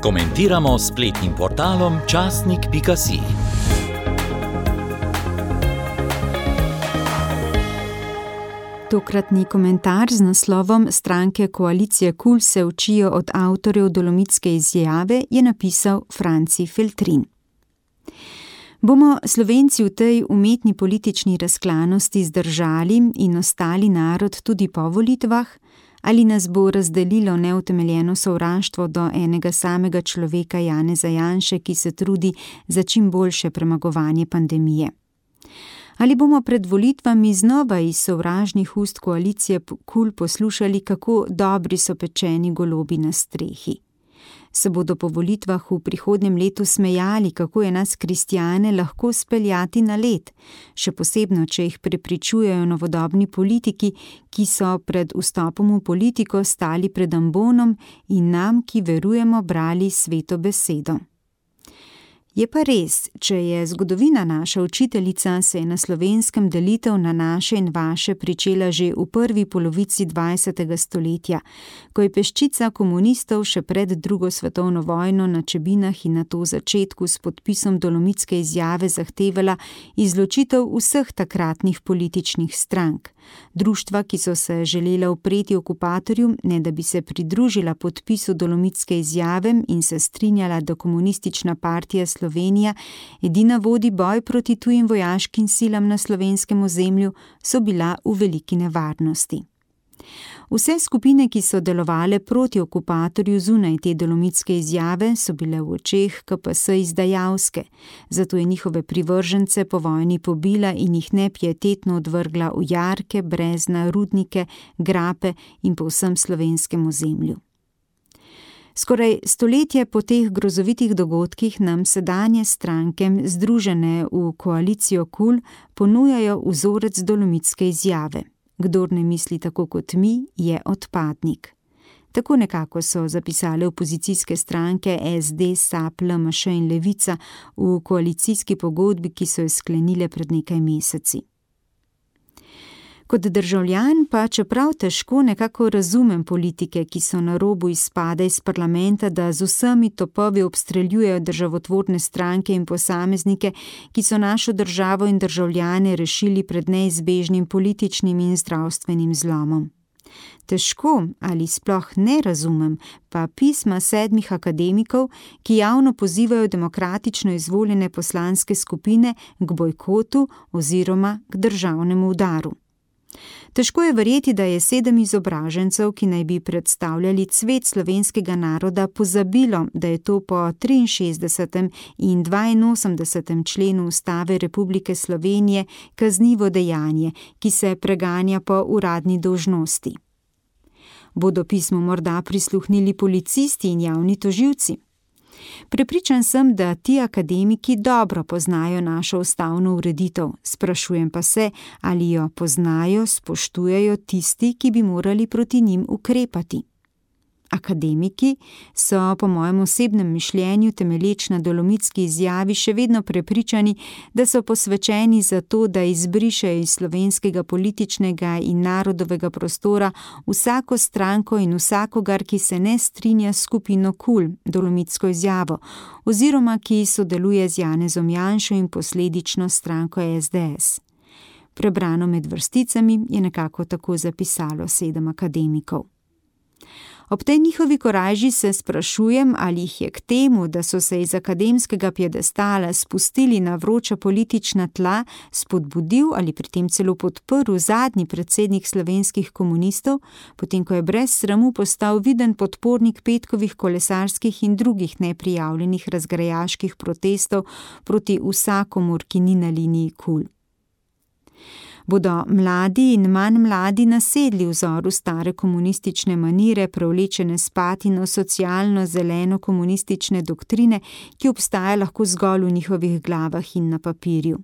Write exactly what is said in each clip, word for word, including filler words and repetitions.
Komentiramo s spletnim portalom časnik pika si. Tokratni komentar z naslovom Stranke koalicije KUL se učijo od avtorjev Dolomitske izjave je napisal Franci Feltrin. Bomo Slovenci v tej umetni politični razklanosti zdržali in ostali narod tudi po volitvah, ali nas bo razdelilo neutemeljeno sovraštvo do enega samega človeka Janeza Janše, ki se trudi za čim boljše premagovanje pandemije? Ali bomo pred volitvami znova iz sovražnih ust koalicije KUL poslušali, kako dobri so pečeni golobi na strehi? Se bodo po volitvah v prihodnjem letu smejali, kako je nas kristjane lahko speljati na led, še posebno, če jih prepričujejo novodobni politiki, ki so pred vstopom v politiko stali pred ambonom in nam, ki verujemo, brali sveto besedo. Je pa res, če je zgodovina naša učiteljica, se je na Slovenskem delitev na naše in vaše pričela že v prvi polovici dvajsetega stoletja, ko je peščica komunistov še pred drugo svetovno vojno na Čebinah in nato začetku s podpisom Dolomitske izjave zahtevala izločitev vseh takratnih političnih strank. Društva, ki so se želela upreti okupatorju, ne da bi se pridružila podpisu Dolomitske izjave in se strinjala, da Komunistična partija Slovenija edina vodi boj proti tujim vojaškim silam na slovenskem ozemlju, so bila v veliki nevarnosti. Vse skupine, ki so delovale proti okupatorju zunaj te Dolomitske izjave, so bile v očeh K P S izdajalske, zato je njihove privržence po vojni pobila in jih nepietetno odvrgla v jarke, brezna, rudnike, grape in po vsem slovenskem ozemlju. Skoraj stoletje po teh grozovitih dogodkih nam sedanje stranke, združene v koalicijo KUL, ponujajo vzorec Dolomitske izjave. Kdor ne misli tako kot mi, je odpadnik. Tako nekako so zapisale opozicijske stranke S D, S A P, L M Š in Levica v koalicijski pogodbi, ki so jo sklenile pred nekaj meseci. Kot državljan pa, čeprav težko, nekako razumem politike, ki so na robu izpada iz parlamenta, da z vsemi topovi obstreljujejo državotvorne stranke in posameznike, ki so našo državo in državljane rešili pred neizbežnim političnim in zdravstvenim zlomom. Težko ali sploh ne razumem pa pisma sedmih akademikov, ki javno pozivajo demokratično izvoljene poslanske skupine k bojkotu oziroma k državnemu udaru. Težko je verjeti, da je sedem izobražencev, ki naj bi predstavljali cvet slovenskega naroda, pozabilo, da je to po triinšestdesetem in dvainosemdesetem členu Ustave Republike Slovenije kaznivo dejanje, ki se preganja po uradni dolžnosti. Bodo pismu morda prisluhnili policisti in javni tožilci? Prepričan sem, da ti akademiki dobro poznajo našo ustavno ureditev, sprašujem pa se, ali jo poznajo, spoštujejo tisti, ki bi morali proti njim ukrepati. Akademiki so, po mojem osebnem mišljenju, temelječ na Dolomitski izjavi, še vedno prepričani, da so posvečeni za to, da izbrišejo iz slovenskega političnega in narodovega prostora vsako stranko in vsakogar, ki se ne strinja s skupino KUL, Dolomitsko izjavo, oziroma ki sodeluje z Janezom Janšo in posledično stranko S D S. Prebrano med vrsticami je nekako tako zapisalo sedem akademikov. Ob tej njihovi korajži se sprašujem, ali jih je k temu, da so se iz akademskega piedestala spustili na vroča politična tla, spodbudil ali pri tem celo podprl zadnji predsednik slovenskih komunistov, potem ko je brez sramu postal viden podpornik petkovih kolesarskih in drugih neprijavljenih razgrajaških protestov proti vsakomur, ki ni na liniji KUL. Bodo mladi in manj mladi nasedli vzoru stare komunistične manire, prevlečene s patino socialno-zeleno komunistične doktrine, ki obstaja lahko zgolj v njihovih glavah in na papirju.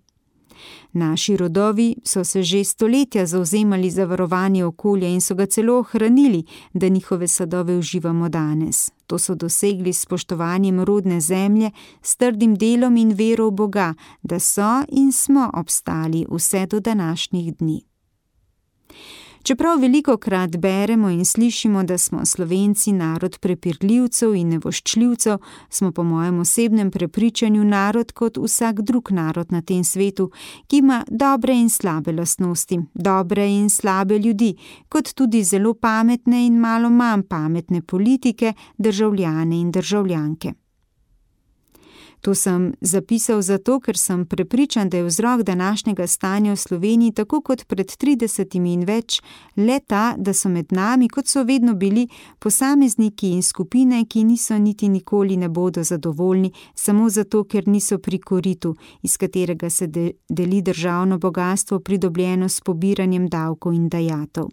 Naši rodovi so se že stoletja zavzemali za varovanje okolja in so ga celo ohranili, da njihove sadove uživamo danes. To so dosegli s spoštovanjem rodne zemlje, s trdim delom in vero v Boga, da so in smo obstali vse do današnjih dni. Čeprav velikokrat beremo in slišimo, da smo Slovenci narod prepirljivcev in nevoščljivcev, smo po mojem osebnem prepričanju narod kot vsak drug narod na tem svetu, ki ima dobre in slabe lastnosti, dobre in slabe ljudi, kot tudi zelo pametne in malo manj pametne politike, državljane in državljanke. To sem zapisal zato, ker sem prepričan, da je vzrok današnjega stanja v Sloveniji tako kot pred tridesetimi in več le ta, da so med nami, kot so vedno bili, posamezniki in skupine, ki niso niti nikoli ne bodo zadovoljni, samo zato, ker niso pri koritu, iz katerega se de- deli državno bogastvo pridobljeno s pobiranjem davkov in dajatev.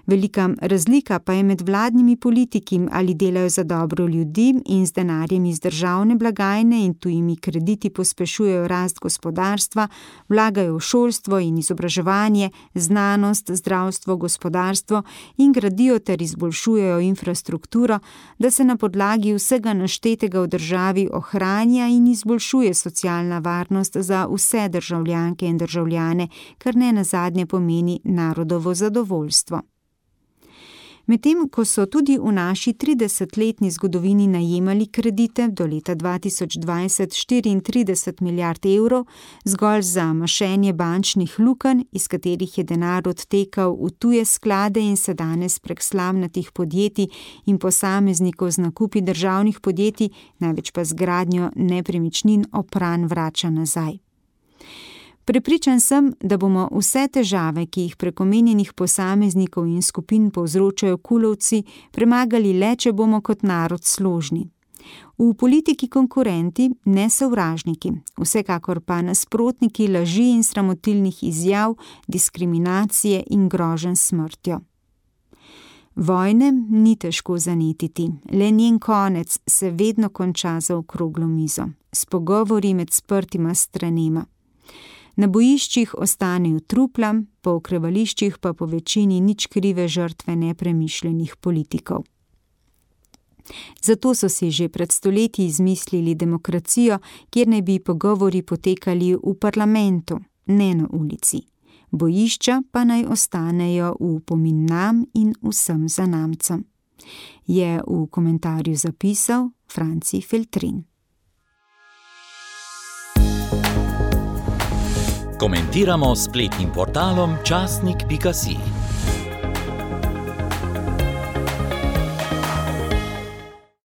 Velika razlika pa je med vladnimi politiki, ali delajo za dobro ljudi in z denarjem iz državne blagajne in tujimi krediti pospešujejo rast gospodarstva, vlagajo v šolstvo in izobraževanje, znanost, zdravstvo, gospodarstvo in gradijo ter izboljšujejo infrastrukturo, da se na podlagi vsega naštetega v državi ohranja in izboljšuje socialna varnost za vse državljanke in državljane, kar ne nazadnje pomeni narodovo zadovoljstvo. Medtem ko so tudi v naši tridesetletni zgodovini najemali kredite do leta dva tisoč dvajset štiriintrideset milijard evrov zgolj za mašenje bančnih lukenj, iz katerih je denar odtekal v tuje sklade in se danes prek slamnatih podjetij in posameznikov z nakupi državnih podjetij, največ pa z gradnjo nepremičnin opran vrača nazaj. Prepričan sem, da bomo vse težave, ki jih prek omenjenih posameznikov in skupin povzročajo kulovci, premagali le, če bomo kot narod složni. V politiki konkurenti, ne sovražniki, vsekakor pa nasprotniki laži in sramotilnih izjav, diskriminacije in groženj s smrtjo. Vojne ni težko zanetiti, le njen konec se vedno konča za okroglo mizo, s pogovori med sprtima stranema. Na bojiščih ostanejo trupla, po okrevališčih pa po večini nič krive žrtve nepremišljenih politikov. Zato so si že pred stoletji izmislili demokracijo, kjer naj bi pogovori potekali v parlamentu, ne na ulici. Bojišča pa naj ostanejo v opomin nam in vsem zanamcem. Je v komentarju zapisal Franci Feltrin. Komentiramo s spletnim portalom časnik pika si.